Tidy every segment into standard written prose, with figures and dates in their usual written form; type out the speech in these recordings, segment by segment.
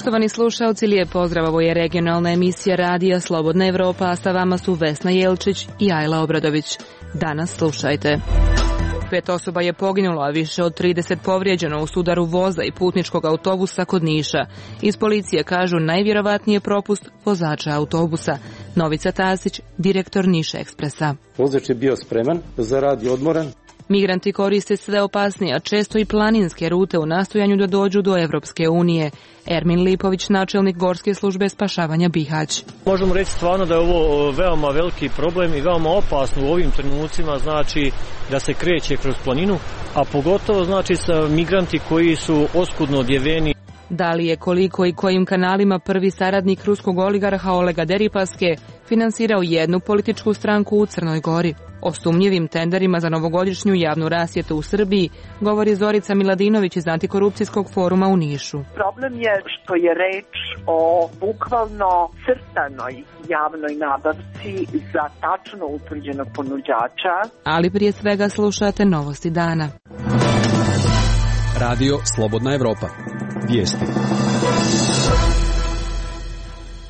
Poštovani slušalci, lijep pozdrav, ovo je regionalna emisija radija Slobodna Evropa, a sa vama su Vesna Jelčić i Ajla Obradović. Danas slušajte. 5 osoba je poginulo, a više od 30 povrijeđeno u sudaru voza i putničkog autobusa kod Niša. Iz policije kažu najvjerovatnije propust vozača autobusa. Novica Tasić, direktor Niš Ekspresa. Vozač je bio spreman za rad i odmoran. Migranti koriste sve opasnije, a često i planinske rute u nastojanju da dođu do Evropske unije. Ermin Lipović, načelnik Gorske službe spašavanja Bihać. Možemo reći stvarno da je ovo veoma veliki problem i veoma opasno u ovim trenucima, znači da se kreće kroz planinu, a pogotovo znači sa migranti koji su oskudno odjeveni. Da li je, koliko i kojim kanalima prvi saradnik ruskog oligarha Olega Deripaske finansirao jednu političku stranku u Crnoj Gori? O sumnjivim tenderima za novogodišnju javnu rasvjetu u Srbiji govori Zorica Miladinović iz Antikorupcijskog foruma u Nišu. Problem je što je reč o bukvalno crtanoj javnoj nabavci za tačno utvrđenog ponuđača. Ali prije svega slušate novosti dana. Radio Slobodna Evropa. Vijesti.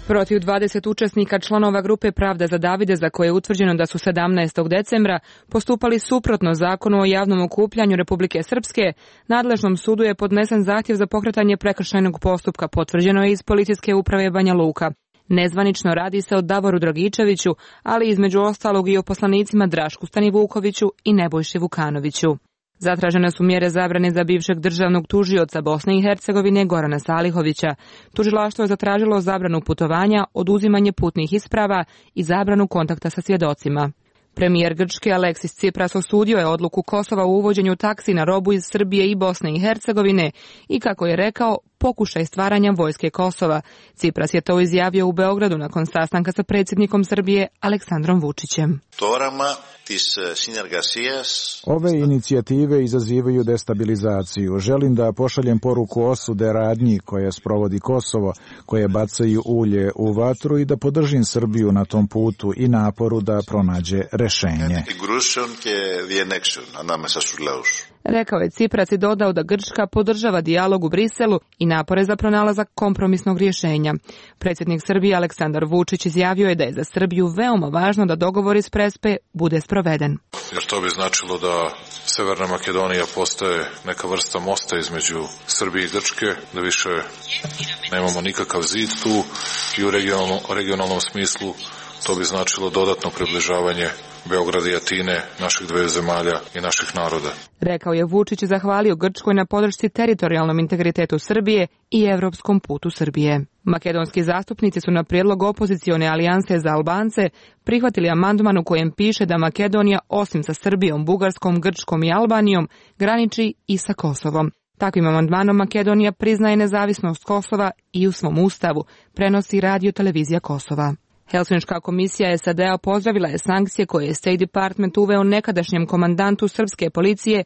Protiv 20 učesnika članova grupe Pravda za Davide, za koje je utvrđeno da su 17. decembra postupali suprotno zakonu o javnom okupljanju Republike Srpske, nadležnom sudu je podnesen zahtjev za pokretanje prekršajnog postupka, potvrđeno je iz Policijske uprave Banja Luka. Nezvanično radi se o Davoru Dragičeviću, ali između ostalog i o poslanicima Drašku Stanivukoviću i Nebojši Vukanoviću. Zatražene su mjere zabrane za bivšeg državnog tužioca Bosne i Hercegovine Gorana Salihovića. Tužilaštvo je zatražilo zabranu putovanja, oduzimanje putnih isprava i zabranu kontakta sa svjedocima. Premijer Grčke Aleksis Tsipras osudio je odluku Kosova o uvođenju taksi na robu iz Srbije i Bosne i Hercegovine i, kako je rekao, pokušaj stvaranja vojske Kosova. Tsipras je to izjavio u Beogradu nakon sastanka sa predsjednikom Srbije Aleksandrom Vučićem. Ove inicijative izazivaju destabilizaciju. Želim da pošaljem poruku osude radnji koje sprovodi Kosovo, koje bacaju ulje u vatru, i da podržim Srbiju na tom putu i naporu da pronađe rešenje. Rekao je Tsipras i dodao da Grčka podržava dijalog u Briselu i napore za pronalazak kompromisnog rješenja. Predsjednik Srbije Aleksandar Vučić izjavio je da je za Srbiju veoma važno da dogovor iz Prespe bude sproveden. Jer to bi značilo da Severna Makedonija postaje neka vrsta mosta između Srbije i Grčke, da više nemamo nikakav zid tu i u regionalnom smislu to bi značilo dodatno približavanje Beograda i Atine, naših dve zemalja i naših naroda. Rekao je Vučić i zahvalio Grčkoj na podršci teritorijalnom integritetu Srbije i evropskom putu Srbije. Makedonski zastupnici su na prijedlog opozicione alijanse za Albance prihvatili amandman u kojem piše da Makedonija osim sa Srbijom, Bugarskom, Grčkom i Albanijom graniči i sa Kosovom. Takvim amandmanom Makedonija priznaje nezavisnost Kosova i u svom ustavu, prenosi Radio Televizija Kosova. Helsinška komisija SAD-a pozdravila je sankcije koje je State Department uveo nekadašnjem komandantu srpske policije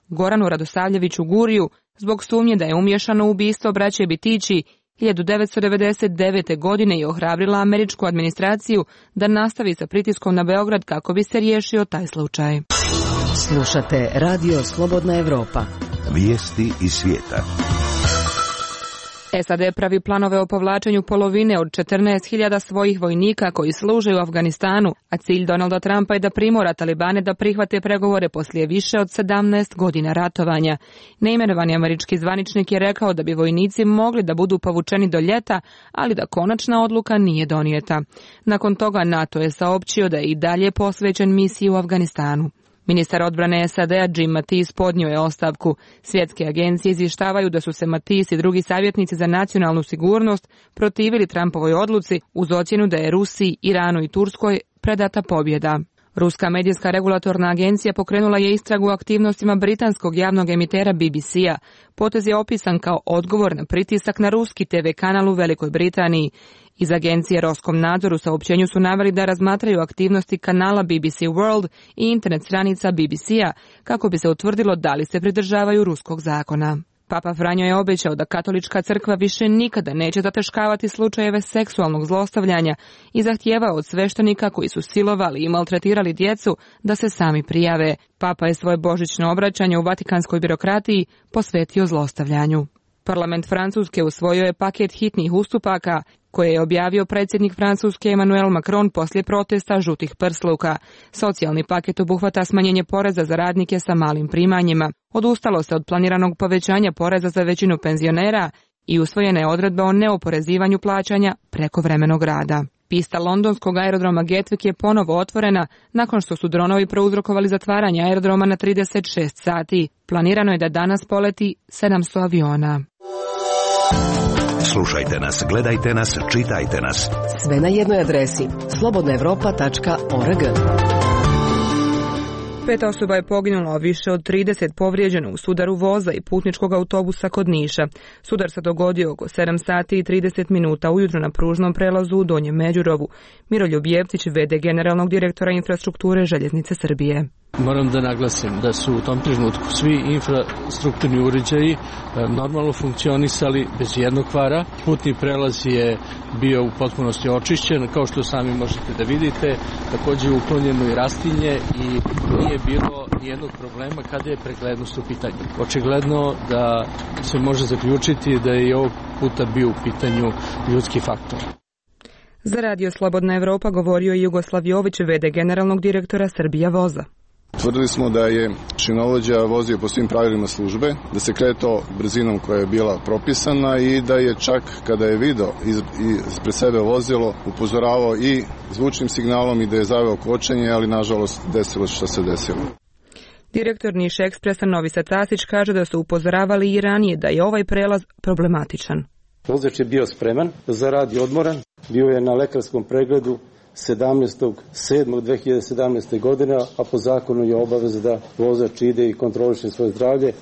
Goranu Radosavljeviću Guriju zbog sumnje da je umješano u ubistvo braće Bitići 1999. godine i ohrabrila američku administraciju da nastavi sa pritiskom na Beograd kako bi se riješio taj slučaj. Slušate Radio Slobodna Evropa. Vijesti iz svijeta. SAD pravi planove o povlačenju polovine od 14.000 svojih vojnika koji služe u Afganistanu, a cilj Donalda Trumpa je da primora Talibane da prihvate pregovore poslije više od 17 godina ratovanja. Neimenovani američki zvaničnik je rekao da bi vojnici mogli da budu povučeni do ljeta, ali da konačna odluka nije donijeta. Nakon toga NATO je saopćio da je i dalje posvećen misiji u Afganistanu. Ministar odbrane SAD-a Jim Mattis podnio je ostavku. Svjetske agencije izvještavaju da su se Mattis i drugi savjetnici za nacionalnu sigurnost protivili Trumpovoj odluci uz ocjenu da je Rusiji, Iranu i Turskoj predata pobjeda. Ruska medijska regulatorna agencija pokrenula je istragu o aktivnostima britanskog javnog emitera BBC-a. Potez je opisan kao odgovor na pritisak na ruski TV kanal u Velikoj Britaniji. Iz agencije Roskomnadzor u saopćenju su naveli da razmatraju aktivnosti kanala BBC World i internet stranica BBC-a kako bi se utvrdilo da li se pridržavaju ruskog zakona. Papa Franjo je obećao da katolička crkva više nikada neće zataškavati slučajeve seksualnog zlostavljanja i zahtijevao od sveštenika koji su silovali i maltretirali djecu da se sami prijave. Papa je svoje božićno obraćanje u vatikanskoj birokratiji posvetio zlostavljanju. Parlament Francuske usvojio je paket hitnih ustupaka koje je objavio predsjednik Francuske Emmanuel Macron poslije protesta žutih prsluka. Socijalni paket obuhvata smanjenje poreza za radnike sa malim primanjima. Odustalo se od planiranog povećanja poreza za većinu penzionera i usvojena je odredba o neoporezivanju plaćanja prekovremenog rada. Pista londonskog aerodroma Gatwick je ponovo otvorena nakon što su dronovi prouzrokovali zatvaranje aerodroma na 36 sati. Planirano je da danas poleti 700 aviona. Slušajte nas, gledajte nas, čitajte nas. Sve na jednoj adresi slobodnaevropa.org. 5 osoba je poginulo, a više od 30 povrijeđeno u sudaru voza i putničkog autobusa kod Niša. Sudar se dogodio oko 7 sati i 30 minuta ujutro na pružnom prelazu u Donjem Međurovu. Miroljub Jevtić, v.d. generalnog direktora infrastrukture Željeznice Srbije. Moram da naglasim da su u tom trenutku svi infrastrukturni uređaji normalno funkcionisali bez jednog kvara. Putni prelaz je bio u potpunosti očišćen, kao što sami možete da vidite. Također uklonjeno i rastinje i nije bilo nijednog problema kada je preglednost u pitanju. Očigledno da se može zaključiti da je i ovog puta bio u pitanju ljudski faktor. Za Radio Slobodna Evropa govorio je Jugoslav Jović, v.d. generalnog direktora Srbija voza. Tvrdili smo da je šinovođa vozio po svim pravilima službe, da se kretao brzinom koja je bila propisana i da je čak kada je video ispred sebe vozilo upozoravao i zvučnim signalom i da je zaveo kočenje, ali nažalost desilo što se desilo. Direktor Niš Ekspresa Novica Tasić kaže da su upozoravali i ranije da je ovaj prelaz problematičan. Vozač je bio spreman za rad i odmoran, bio je na lekarskom pregledu 17.7.2017. godine, a po zakonu je obaveza da vozač ide i kontroliše svoje zdravlje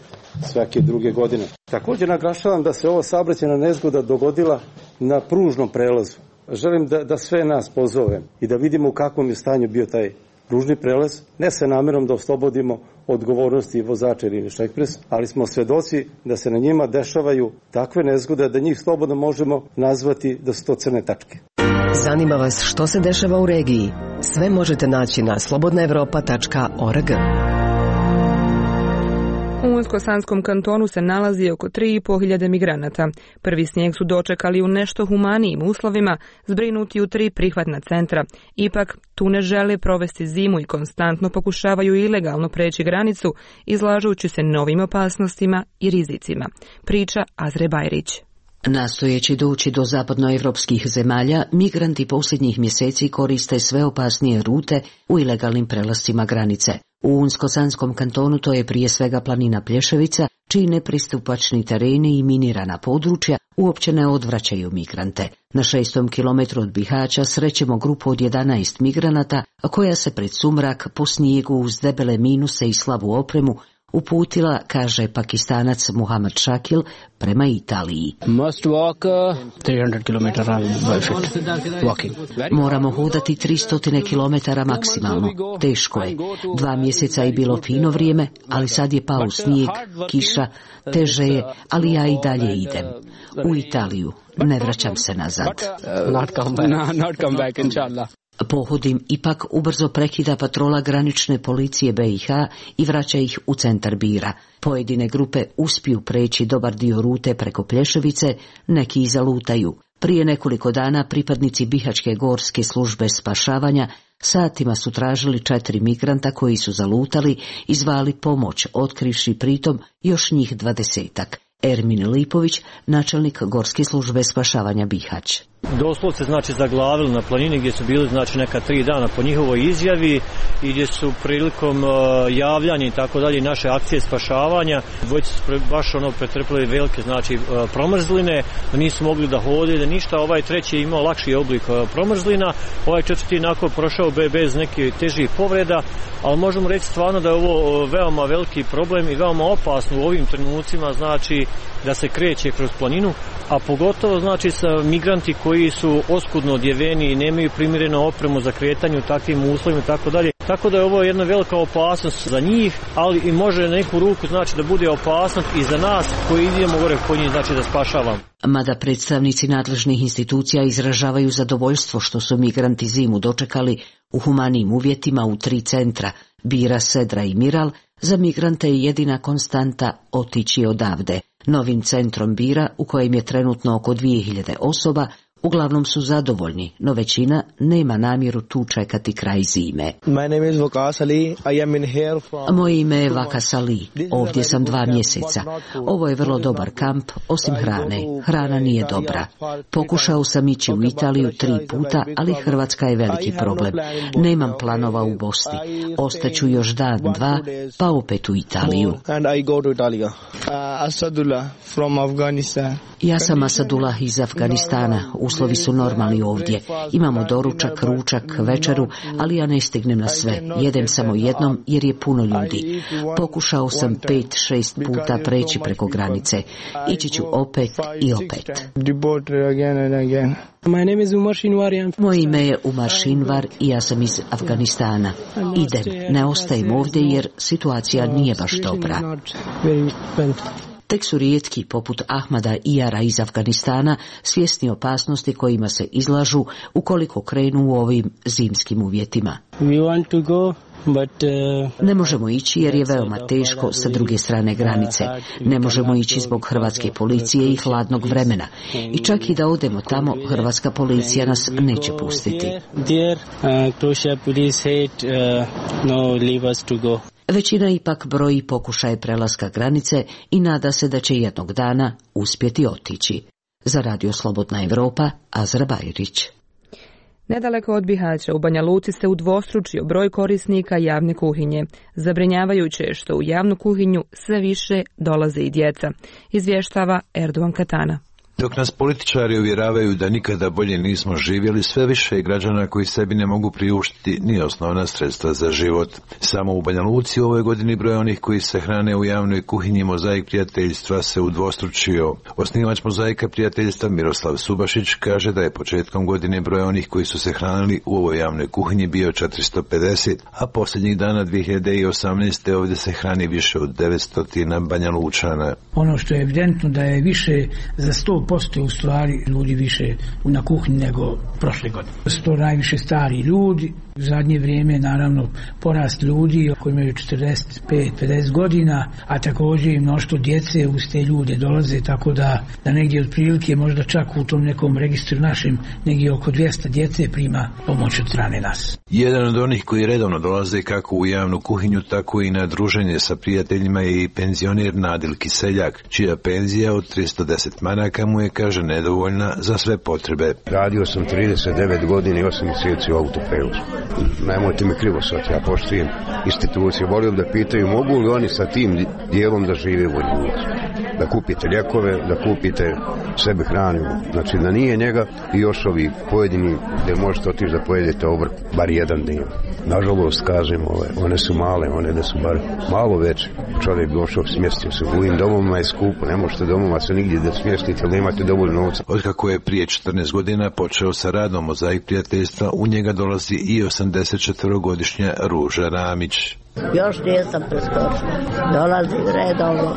svake druge godine. Također naglašavam da se ova saobraćajna nezgoda dogodila na pružnom prelazu. Želim da sve nas pozovem i da vidimo u kakvom je stanju bio taj pružni prelaz, ne sa namjerom da oslobodimo odgovornosti vozača Niš Ekspres, ali smo svedoci da se na njima dešavaju takve nezgode da njih slobodno možemo nazvati da su to crne tačke. Zanima vas što se dešava u regiji? Sve možete naći na slobodnaevropa.org. U Unsko-Sanskom kantonu se nalazi oko 3.500 migranata. Prvi snijeg su dočekali u nešto humanijim uslovima, zbrinuti u 3 prihvatna centra. Ipak, tu ne žele provesti zimu i konstantno pokušavaju ilegalno preći granicu, izlažujući se novim opasnostima i rizicima. Priča Azre Bajrić. Nastojeći doći do zapadnoevropskih zemalja, migranti posljednjih mjeseci koriste sve opasnije rute u ilegalnim prelascima granice. U Unsko-Sanskom kantonu to je prije svega planina Plješevica, čiji nepristupačni tereni i minirana područja uopće ne odvraćaju migrante. Na 6. kilometru od Bihaća srećemo grupu od 11 migranata, koja se pred sumrak po snijegu uz debele minuse i slabu opremu uputila, kaže Pakistanac Muhammad Shakil, prema Italiji. Must walk 300 km walking. Moramo hodati 300 km maksimalno. Teško je. 2 mjeseca je bilo fino vrijeme, ali sad je pao snijeg, kiša, teže je, ali ja i dalje idem. U Italiju. Ne vraćam se nazad. Not come back, inshallah. Pohodim ipak ubrzo prekida patrola granične policije BiH i vraća ih u centar Bira. Pojedine grupe uspiju preći dobar dio rute preko Plješevice, neki i zalutaju. Prije nekoliko dana pripadnici Bihaćke gorske službe spašavanja satima su tražili 4 migranta koji su zalutali i zvali pomoć, otkrivši pritom još njih 20-ak. Ermin Lipović, načelnik Gorske službe spašavanja Bihać. Doslovce zaglavili na planini gdje su bili neka 3 dana po njihovoj izjavi i gdje su prilikom javljanja i tako dalje naše akcije spašavanja dvojice su baš pretrpili velike promrzline, da nisu mogli da hode, da ništa. Ovaj treći je imao lakši oblik promrzlina, ovaj četvrti onako prošao bez nekih težih povreda, ali možemo reći stvarno da je ovo veoma veliki problem i veoma opasno u ovim trenucima, da se kreće kroz planinu, a pogotovo sa migranti koji su oskudno odjeveni i nemaju primjerenu opremu za kretanje u takvim uslovima i tako dalje. Tako da je ovo jedna velika opasnost za njih, ali i može na neku ruku znači da bude opasnost i za nas koji idemo gore kod njih, znači da spašavamo. Mada predstavnici nadležnih institucija izražavaju zadovoljstvo što su migranti zimu dočekali u humanijim uvjetima u 3 centra, Bira, Sedra i Miral, za migrante je jedina konstanta otići odavde. Novim centrom Bira, u kojem je trenutno oko 2000 osoba, uglavnom su zadovoljni, no većina nema namjeru tu čekati kraj zime. Moje ime je Vakas Ali. Ovdje sam 2 mjeseca. Ovo je vrlo dobar kamp, osim hrane. Hrana nije dobra. Pokušao sam ići u Italiju 3 puta, ali Hrvatska je veliki problem. Nemam planova u Bosni. Ostaću još dan, 2, pa opet u Italiju. Ja sam Asadullah iz Afganistana. Uslovi su normalni ovdje. Imamo doručak, ručak, večeru, ali ja ne stignem na sve. Jedem samo jednom jer je puno ljudi. Pokušao sam 5-6 puta preći preko granice. Ići ću opet i opet. Moje ime je Umar Shinwar i ja sam iz Afganistana. Idem, ne ostajem ovdje jer situacija nije baš dobra. Tek su rijetki, poput Ahmada Iyara iz Afganistana, svjesni opasnosti kojima se izlažu ukoliko krenu u ovim zimskim uvjetima. Ne možemo ići jer je veoma teško sa druge strane granice. Ne možemo ići zbog hrvatske policije i hladnog vremena. I čak i da odemo tamo, hrvatska policija nas neće pustiti. Većina ipak broji pokušaje prelaska granice i nada se da će jednog dana uspjeti otići. Za Radio Slobodna Evropa, Azra Bajrić. Nedaleko od Bihaća u Banja Luci se udvostručio broj korisnika javne kuhinje. Zabrinjavajuće je što u javnu kuhinju sve više dolaze i djeca, izvještava Erdogan Katana. Dok nas političari uvjeravaju da nikada bolje nismo živjeli, sve više građana koji sebi ne mogu priuštiti ni osnovna sredstva za život. Samo u Banja Luci ove godini broj onih koji se hrane u javnoj kuhinji Mozaik prijateljstva se udvostručio. Osnivač Mozaika prijateljstva Miroslav Subašić kaže da je početkom godine broj onih koji su se hranili u ovoj javnoj kuhinji bio 450, a posljednjih dana 2018. ovdje se hrani više od 900 Banja Lučana. Ono što je evidentno da je više za 100% u stvari ljudi više na kuhinji nego prošle godine. To najviše stari ljudi, u zadnje vrijeme naravno porast ljudi koji imaju 45-50 godina, a također i mnoštvo djece uz te ljude dolaze, tako da negdje otprilike možda čak u tom nekom registru našem negdje oko 200 djece prima pomoć od strane nas. Jedan od onih koji redovno dolaze kako u javnu kuhinju, tako i na druženje sa prijateljima je i penzioner Nadil Kiseljak, čija penzija od 310 maraka mu je, kaže, nedovoljna za sve potrebe. Radio sam 39 godina i 8 mjeseci u autoprevozu. Nemojte me krivo shvatiti, ja poštujem institucije. Volio da pitaju mogu li oni sa tim dijelom da žive u Vojnici. Da kupite lijekove, da kupite sebi hranu. Znači da nije njega i još ovi pojedini gdje možete otići da pojedete obrok bar jedan dio. Nažalost, kažem, one su male, one da su bar malo veće. Čovjek došao, smjestio se. U ovim domovima je skupo, ne možete domova se nigdje da smjestite, ali nemate dovoljno novca. Otkako je prije 14 godina počeo sa radom Mozaik prijateljstva, u njega dolazi i 84-godišnja Ruža Ramić. Još nisam preskočila. Dolazi redovno.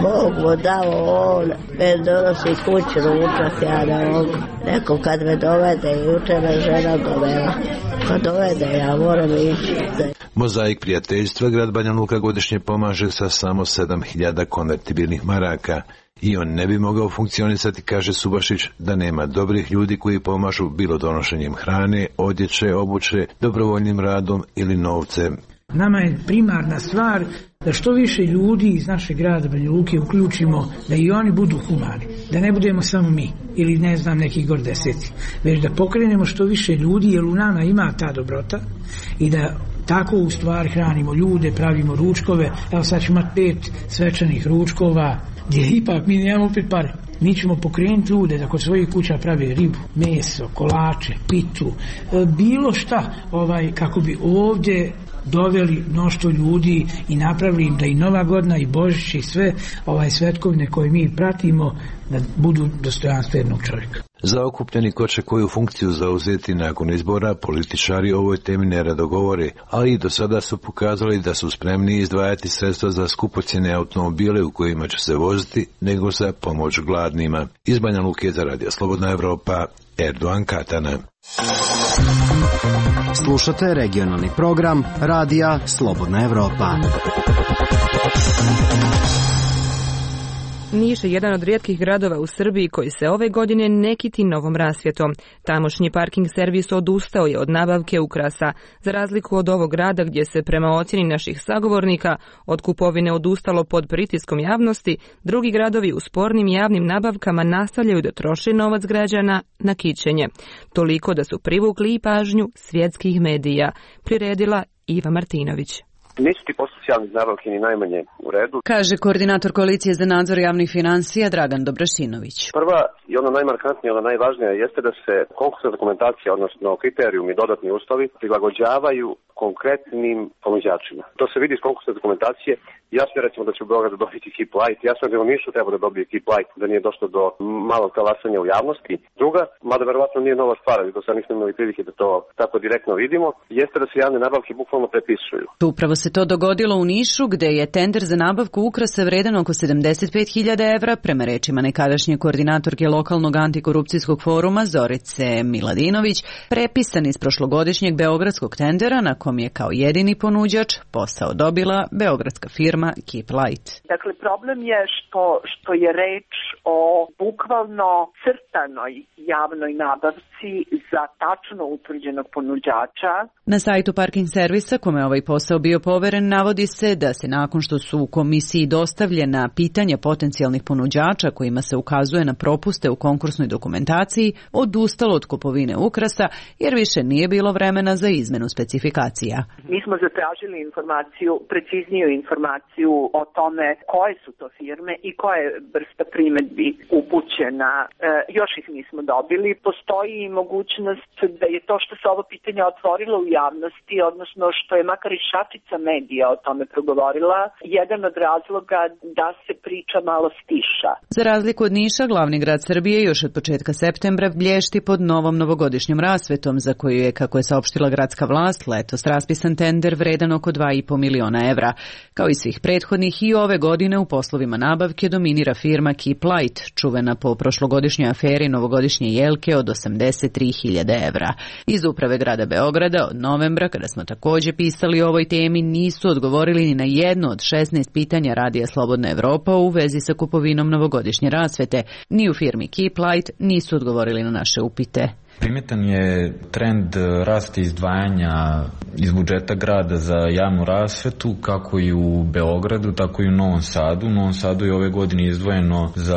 Bog mu dao on. Me donosi kući ručak, ja ne mogu. Neko kad me dovede, jučer me žena dovela. Kad dovede, ja moram ići. Mozaik prijateljstva grad Banja Luka godišnje pomaže sa samo 7.000 konvertibilnih maraka. I on ne bi mogao funkcionisati, kaže Subašić, da nema dobrih ljudi koji pomažu bilo donošenjem hrane, odjeće, obuće, dobrovoljnim radom ili novcem. Nama je primarna stvar da što više ljudi iz našeg grada Banja Luke uključimo, da i oni budu humani, da ne budemo samo mi ili ne znam neki gor deseti, već da pokrenemo što više ljudi jer u nama ima ta dobrota i da tako u stvari hranimo ljude, pravimo ručkove. Evo sad ćemo imati 5 svečanih ručkova gdje ipak mi nemamo opet pare. Mi ćemo pokrenuti ljude da kod svojih kuća prave ribu, meso, kolače, pitu, bilo šta kako bi ovdje doveli mnoštvo ljudi i napravili im da i Nova godina i Božić i sve svetkovine koje mi pratimo da budu dostojanstvenog čovjeka. Zaokupljeni ko će koju funkciju zauzeti nakon izbora, političari o ovoj temi nerado govore, ali i do sada su pokazali da su spremni izdvajati sredstva za skupocjene automobile u kojima će se voziti, nego za pomoć gladnima. Iz Banja Luke za Radio Slobodna Evropa, Erdogan Katana. Slušate regionalni program Radija Slobodna Evropa. Niš je jedan od rijetkih gradova u Srbiji koji se ove godine ne kiti novom rasvjetom. Tamošnji parking servis odustao je od nabavke ukrasa. Za razliku od ovog grada gdje se prema ocjeni naših sagovornika od kupovine odustalo pod pritiskom javnosti, drugi gradovi u spornim javnim nabavkama nastavljaju da troše novac građana na kićenje. Toliko da su privukli i pažnju svjetskih medija, priredila Iva Martinović. Nisu ti postupci javnih nabavki ni najmanje u redu, kaže koordinator Koalicije za nadzor javnih financija Dragan Dobrašinović. Prva i ona najmarkantnija, ona najvažnija jeste da se konkursna dokumentacija, odnosno kriterijumi i dodatni uslovi prilagođavaju konkretnim ponuđačima. To se vidi iz konkursne dokumentacije. Jasno je recimo da će u Beogradu dobiti Keep Light, jasno je da u Nišu treba da dobije Keep Light, da nije došlo do malog talasanja u javnosti. Druga, mada verovatno nije nova stvar, ali do sad nismo imali prilike da to tako direktno vidimo, jeste da se javne nabavke bukvalno prepisuju. Upravo se to dogodilo u Nišu, gde je tender za nabavku ukrasa vredan oko 75.000 evra, prema rečima nekadašnje koordinatorke lokalnog antikorupcijskog foruma Zorice Miladinović, prepisan iz prošlogodišnjeg beogradskog tendera na kom je kao jedini ponuđač posao dobila beogradska firma Keep Light. Dakle, problem je što je reč o bukvalno crtanoj javnoj nabavci za tačno utvrđenog ponuđača. Na sajtu parking servisa kome ovaj posao bio poveren navodi se da se nakon što su u komisiji dostavljena pitanja potencijalnih ponuđača kojima se ukazuje na propuste u konkursnoj dokumentaciji, odustalo od kupovine ukrasa jer više nije bilo vremena za izmenu specifikacija. Mi smo zatražili precizniju informaciju o tome koje su to firme i koja je vrsta primedbi upućena. Još ih nismo dobili. Postoji i mogućnost da je to što se ovo pitanje otvorilo u javnosti, odnosno što je makar i šačica medija o tome progovorila, jedan od razloga da se priča malo stiša. Za razliku od Niša, glavni grad Srbije još od početka septembra blješti pod novom novogodišnjom rasvetom, za koju je, kako je saopštila gradska vlast, letos raspisan tender vredan oko 2,5 miliona evra. Kao i svih prethodnih, i ove godine u poslovima nabavke dominira firma Keep Light, čuvena po prošlogodišnjoj aferi novogodišnje jelke od 83.000 evra. Iz uprave grada Beograda od novembra, kada smo također pisali o ovoj temi, nisu odgovorili ni na jedno od 16 pitanja Radija Slobodna Evropa u vezi sa kupovinom novogodišnje rasvete. Ni u firmi Keep Light nisu odgovorili na naše upite. Primetan je trend rasta izdvajanja iz budžeta grada za javnu rasvetu, kako i u Beogradu, tako i u Novom Sadu. U Novom Sadu je ove godine izdvojeno za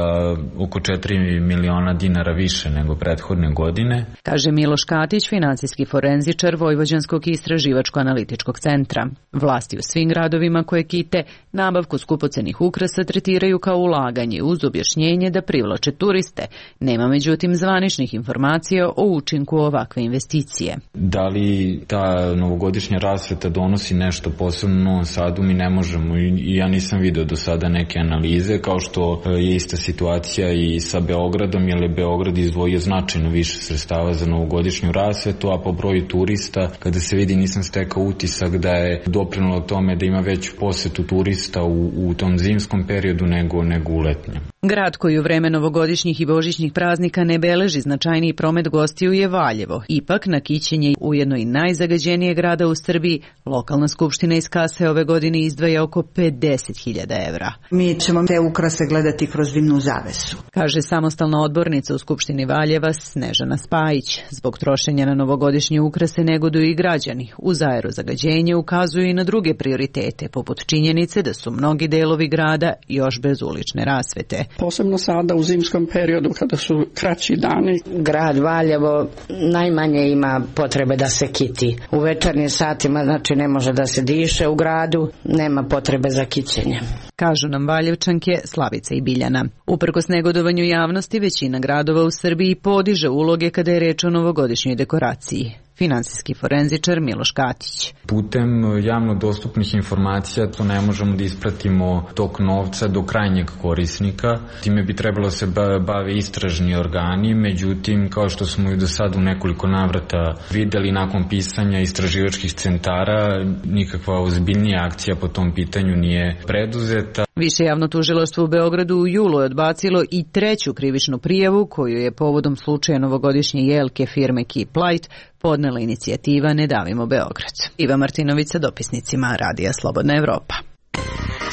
oko 4 miliona dinara više nego prethodne godine. Kaže Miloš Katić, finansijski forenzičar Vojvođanskog istraživačko-analitičkog centra. Vlasti u svim gradovima koje kite nabavku skupocenih ukrasa tretiraju kao ulaganje uz objašnjenje da privlače turiste. Nema međutim zvaničnih informacija o učinku ovakve investicije. Da li ta novogodišnja rasveta donosi nešto posebno u Novom Sadu, mi ne možemo i ja nisam video do sada neke analize, kao što je ista situacija i sa Beogradom, jer je Beograd izdvojio značajno više sredstava za novogodišnju rasvetu, a po broju turista, kada se vidi, nisam stekao utisak da je doprinelo tome da ima veću posetu turista u tom zimskom periodu nego u letnjem. Grad koji u vreme novogodišnjih i božićnih praznika ne beleži značajniji promet gostiju je Valjevo. Ipak na kićenje ujedno i najzagađenije grada u Srbiji, lokalna skupština iz kase ove godine izdvaja oko 50.000 evra. Mi ćemo te ukrase gledati kroz dimnu zavesu, kaže samostalna odbornica u skupštini Valjeva Snežana Spajić. Zbog trošenja na novogodišnje ukrase negoduju i građani. Uz aerozagađenje ukazuju i na druge prioritete, poput činjenice da su mnogi delovi grada još bez ulične rasvete. Posebno sada u zimskom periodu kada su kraći dani. Grad Valjevo najmanje ima potrebe da se kiti. U večernjim satima znači ne može da se diše u gradu, nema potrebe za kićenje. Kažu nam Valjevčanke Slavica i Biljana. Uprkos negodovanju javnosti, većina gradova u Srbiji podiže uloge kada je reč o novogodišnjoj dekoraciji. finansijski forenzičar Miloš Katić. Putem javno dostupnih informacija to ne možemo da ispratimo tok novca do krajnjeg korisnika. Time bi trebalo se bave istražni organi, međutim, kao što smo i do sada u nekoliko navrata videli nakon pisanja istraživačkih centara, nikakva ozbiljnija akcija po tom pitanju nije preduzeta. Više javno tužilaštvo u Beogradu u julu je odbacilo i treću krivičnu prijavu koju je povodom slučaja novogodišnje jelke firme Keep Light podnela inicijativa Ne davimo Beograd. Iva Martinović sa dopisnicima Radija Slobodna Evropa.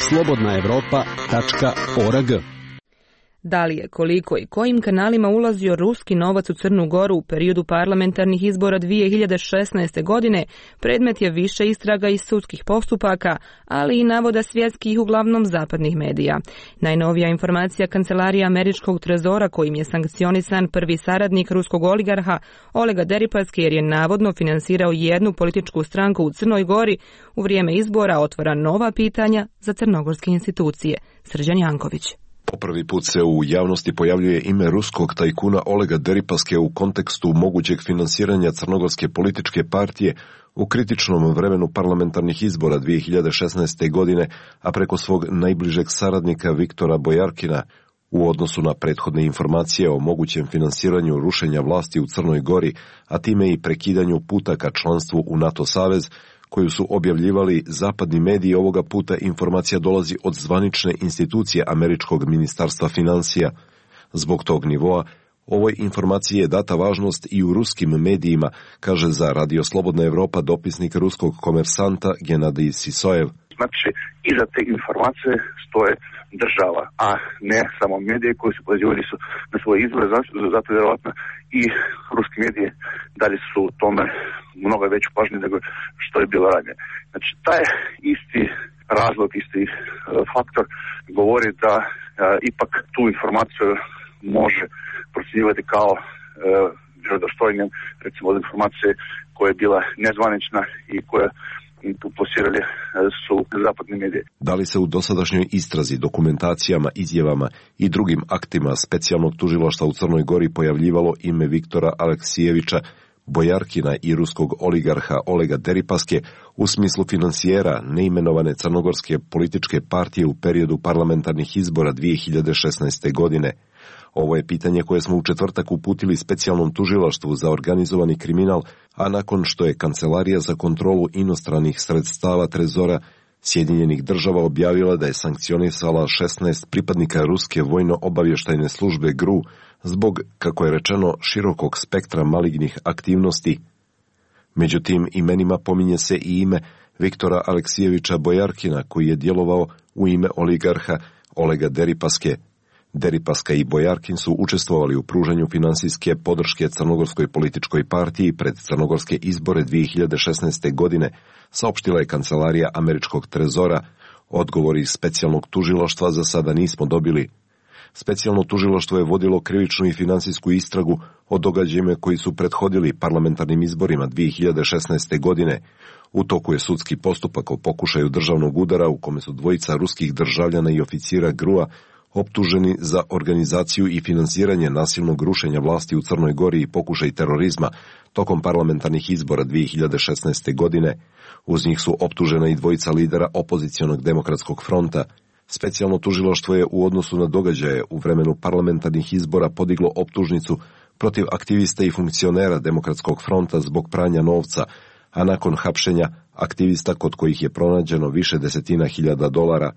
slobodnaevropa.org. Da li je, koliko i kojim kanalima ulazio ruski novac u Crnu Goru u periodu parlamentarnih izbora 2016. godine, predmet je više istraga i sudskih postupaka, ali i navoda svjetskih, uglavnom zapadnih medija. Najnovija informacija Kancelarije američkog trezora, kojim je sankcionisan prvi saradnik ruskog oligarha Olega Deripaske, jer je navodno finansirao jednu političku stranku u Crnoj Gori, u vrijeme izbora otvara nova pitanja za crnogorske institucije. Srđan Janković. Po prvi put se u javnosti pojavljuje ime ruskog tajkuna Olega Deripaske u kontekstu mogućeg finansiranja crnogorske političke partije u kritičnom vremenu parlamentarnih izbora 2016. godine, a preko svog najbližeg saradnika Viktora Bojarkina. U odnosu na prethodne informacije o mogućem finansiranju rušenja vlasti u Crnoj Gori, a time i prekidanju puta ka članstvu u NATO savez, koju su objavljivali zapadni mediji, ovoga puta informacija dolazi od zvanične institucije američkog ministarstva financija. Zbog tog nivoa, ovoj informaciji je data važnost i u ruskim medijima, kaže za Radio Slobodna Evropa dopisnik ruskog Komersanta Genadij Sisojev. Znači, iza te informacije stoje država, a ne samo medije koji su pozivali su na svoje izbore, zato vjerovatno i ruski medije dalje su u tome mnogo veću pažnju nego što je bilo ranije. Znači, taj isti razlog, isti faktor govori da ipak tu informaciju može procjenjivati kao vjerodostojnjem, recimo od informacije koja je bila nezvanična i koja plasirali su zapadni mediji. Da li se u dosadašnjoj istrazi, dokumentacijama, izjavama i drugim aktima specijalnog tužilaštva u Crnoj Gori pojavljivalo ime Viktora Aleksijevića, Bojarkina i ruskog oligarha Olega Deripaske u smislu finansijera neimenovane crnogorske političke partije u periodu parlamentarnih izbora 2016. godine? Ovo je pitanje koje smo u četvrtak uputili specijalnom tužilaštvu za organizovani kriminal, a nakon što je Kancelarija za kontrolu inostranih sredstava Trezora Sjedinjenih država objavila da je sankcionisala 16 pripadnika ruske vojno-obavještajne službe GRU zbog, kako je rečeno, širokog spektra malignih aktivnosti. Međutim, imenima pominje se i ime Viktora Aleksijevića Bojarkina, koji je djelovao u ime oligarha Olega Deripaske. Deripaska i Bojarkin su učestvovali u pružanju finansijske podrške crnogorskoj političkoj partiji pred crnogorske izbore 2016. godine, saopštila je Kancelarija američkog trezora. Odgovori iz specijalnog tužilaštva za sada nismo dobili. Specijalno tužilaštvo je vodilo krivičnu i finansijsku istragu o događajima koji su prethodili parlamentarnim izborima 2016. godine. U toku je sudski postupak o pokušaju državnog udara u kome su dvojica ruskih državljana i oficira GRU-a optuženi za organizaciju i finansiranje nasilnog rušenja vlasti u Crnoj Gori i pokušaj terorizma tokom parlamentarnih izbora 2016. godine. Uz njih su optužena i dvojica lidera opozicionog demokratskog fronta. Specijalno tužilaštvo je u odnosu na događaje u vremenu parlamentarnih izbora podiglo optužnicu protiv aktivista i funkcionera demokratskog fronta zbog pranja novca, a nakon hapšenja aktivista kod kojih je pronađeno više desetina hiljada dolara.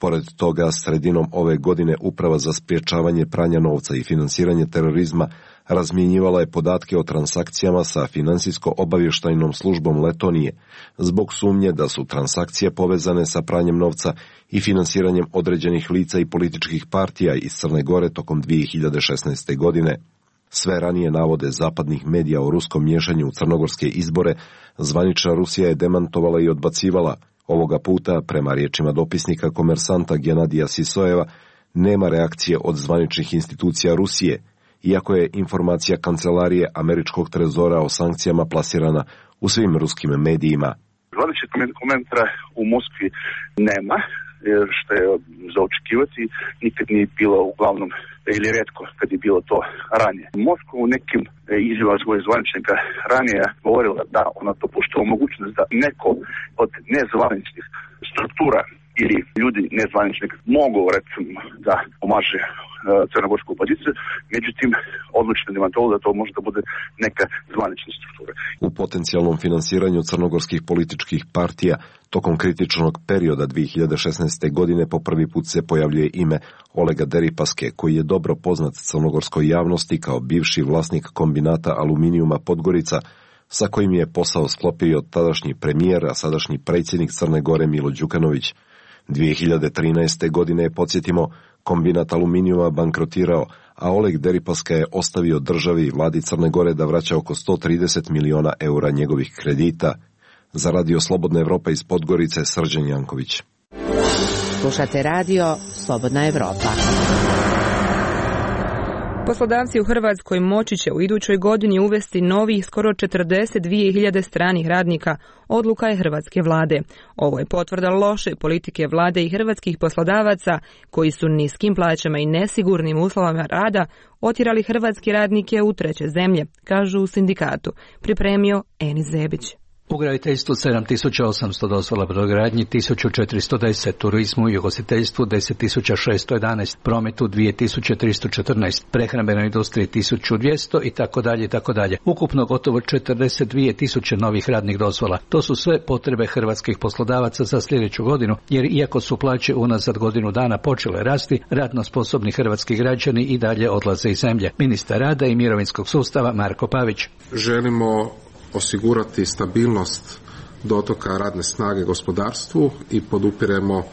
Pored toga, sredinom ove godine Uprava za sprječavanje pranja novca i finansiranje terorizma razmjenjivala je podatke o transakcijama sa finansijsko-obavještajnom službom Letonije, zbog sumnje da su transakcije povezane sa pranjem novca i finansiranjem određenih lica i političkih partija iz Crne Gore tokom 2016. godine. Sve ranije navode zapadnih medija o ruskom miješanju u crnogorske izbore, zvanična Rusija je demantovala i odbacivala. Ovoga puta, prema riječima dopisnika Komersanta Genadija Sisojeva, nema reakcije od zvaničnih institucija Rusije, iako je informacija Kancelarije američkog trezora o sankcijama plasirana u svim ruskim medijima. Zvaničnih komentara u Moskvi nema, što je za očekivati, nikad nije bilo uglavnom ili retko kad je bilo to ranije. Moskva u nekim izjavama svojih zvaničnika ranije govorila da ona dopuštava mogućnost da neko od nezvaničnih struktura ili ljudi nezvaničnih mogu recimo da pomaže crnogorsku opoziciju, međutim odlučno demantolo da to može da bude neka zvanična struktura. U potencijalnom finansiranju crnogorskih političkih partija tokom kritičnog perioda 2016. godine po prvi put se pojavljuje ime Olega Deripaske, koji je dobro poznat crnogorskoj javnosti kao bivši vlasnik kombinata aluminijuma Podgorica, sa kojim je posao sklopio tadašnji premijer, a sadašnji predsjednik Crne Gore Milo Đukanović. 2013. godine, podsjetimo, kombinat aluminijuma bankrotirao, a Oleg Deripaska je ostavio državi i vladi Crne Gore da vraća oko 130 miliona eura njegovih kredita. Za Radio Slobodna Evropa iz Podgorice, Srđan Janković. Slušate radio Slobodna Evropa. Poslodavci u Hrvatskoj moći će u idućoj godini uvesti novih skoro 42.000 stranih radnika, odluka je hrvatske vlade. Ovo je potvrda loše politike vlade i hrvatskih poslodavaca koji su niskim plaćama i nesigurnim uslovama rada otjerali hrvatske radnike u treće zemlje, kažu u sindikatu. Pripremio Enis Zebić. U graditeljstvu 7.800 dozvola, brodogradnji 1.410, turizmu i ugostiteljstvu 10.611, prometu 2.314, prehrambenoj industriji 1.200 itd. Ukupno gotovo 42.000 novih radnih dozvola. To su sve potrebe hrvatskih poslodavaca za sljedeću godinu, jer iako su plaće unazad godinu dana počele rasti, radno sposobni hrvatski građani i dalje odlaze iz zemlje. Ministar rada i mirovinskog sustava Marko Pavić. Želimo osigurati stabilnost dotoka radne snage gospodarstvu i podupiremo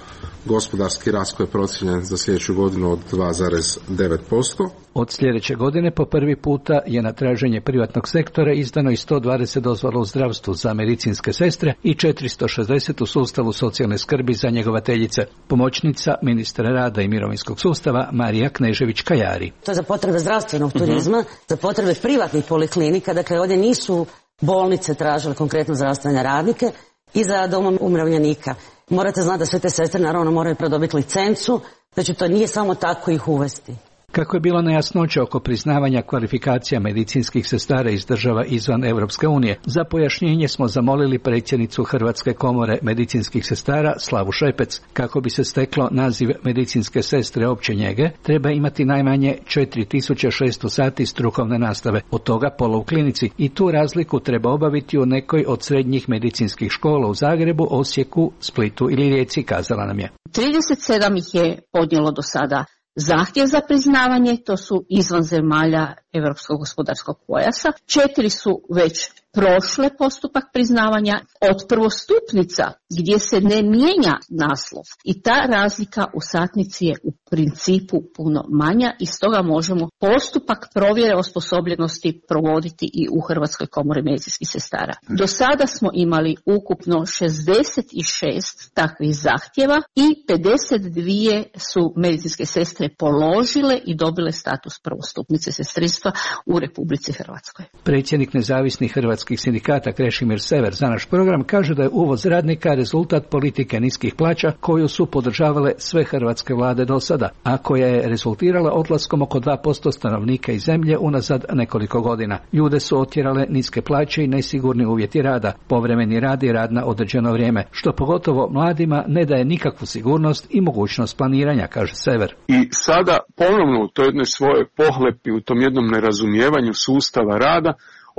gospodarski rast koji je procijenjen za sljedeću godinu od 2,9%. Od sljedeće godine po prvi puta je na traženje privatnog sektora izdano i 120 dozvola u zdravstvu za medicinske sestre i 460 u sustavu socijalne skrbi za njegovateljice. Pomoćnica ministra rada i mirovinskog sustava Marija Knežević-Kajari. To je za potrebe zdravstvenog turizma, za potrebe privatnih poliklinika, dakle ovdje nisu bolnice tražile konkretno zdravstvene radnike i za dom umirovljenika. Morate znati da sve te sestre naravno moraju pridobiti licencu, znači to nije samo tako ih uvesti. Kako je bilo nejasnoća oko priznavanja kvalifikacija medicinskih sestara iz država izvan Europske unije, za pojašnjenje smo zamolili predsjednicu Hrvatske komore medicinskih sestara Slavu Šepec. Kako bi se steklo naziv medicinske sestre opće njege, treba imati najmanje 4.600 sati strukovne nastave, od toga pola u klinici, i tu razliku treba obaviti u nekoj od srednjih medicinskih škola u Zagrebu, Osijeku, Splitu ili Rijeci, kazala nam je. 37 ih je podnijelo do sada zahtjev za priznavanje, to su izvan zemalja Europskog gospodarskog pojasa. 4 su već prošle postupak priznavanja od prvostupnica gdje se ne mijenja naslov i ta razlika u satnici je u principu puno manja i stoga možemo postupak provjere osposobljenosti provoditi i u Hrvatskoj komori medicinskih sestara. Do sada smo imali ukupno 66 takvih zahtjeva i 52 su medicinske sestre položile i dobile status prvostupnice sestrinstva u Republici Hrvatskoj. Predsjednik nezavisnih hrvatskih sindikata Krešimir Sever za naš program kaže da je uvoz radnika rezultat politike niskih plaća koju su podržavale sve hrvatske vlade do sada, a koja je rezultirala odlaskom oko 2% stanovnika iz zemlje unazad nekoliko godina. Ljude su otjerale niske plaće i nesigurni uvjeti rada, povremeni rad i rad na određeno vrijeme, što pogotovo mladima ne daje nikakvu sigurnost i mogućnost planiranja, kaže Sever. I sada ponovno u toj jednoj svojoj pohlepi, u tom jednom nerazumijevanju sustava rada,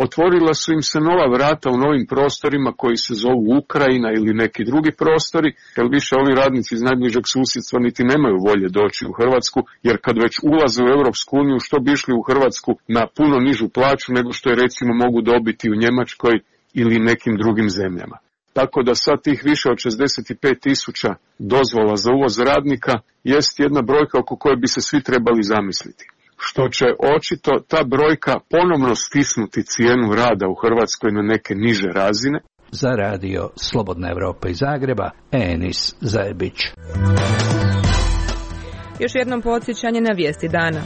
otvorila su im se nova vrata u novim prostorima koji se zovu Ukrajina ili neki drugi prostori, jer više ovi radnici iz najbližeg susjedstva niti nemaju volje doći u Hrvatsku, jer kad već ulaze u Europsku uniju, što bi išli u Hrvatsku na puno nižu plaću nego što je recimo mogu dobiti u Njemačkoj ili nekim drugim zemljama. Tako da sad tih više od 65.000 dozvola za uvoz radnika jest jedna brojka oko koje bi se svi trebali zamisliti. Što će očito ta brojka ponovno stisnuti cijenu rada u Hrvatskoj na neke niže razine. Za radio Slobodna Evropa iz Zagreba, Enis Zajebić. Još jednom podsjećanje na vijesti dana.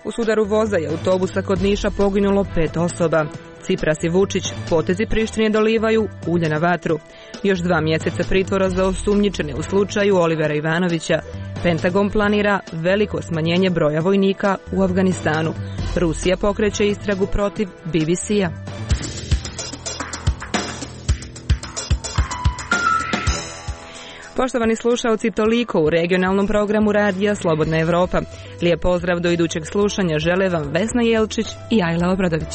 U sudaru voza i autobusa kod Niša poginulo 5 osoba. Cipras i Vučić potezi Prištine dolivaju ulje na vatru. Još 2 mjeseca pritvora za osumnjičene u slučaju Olivera Ivanovića. Pentagon planira veliko smanjenje broja vojnika u Afganistanu. Rusija pokreće istragu protiv BBC-a. Poštovani slušalci, toliko u regionalnom programu radija Slobodna Evropa. Lijep pozdrav do idućeg slušanja žele vam Vesna Jelčić i Ajla Obradović.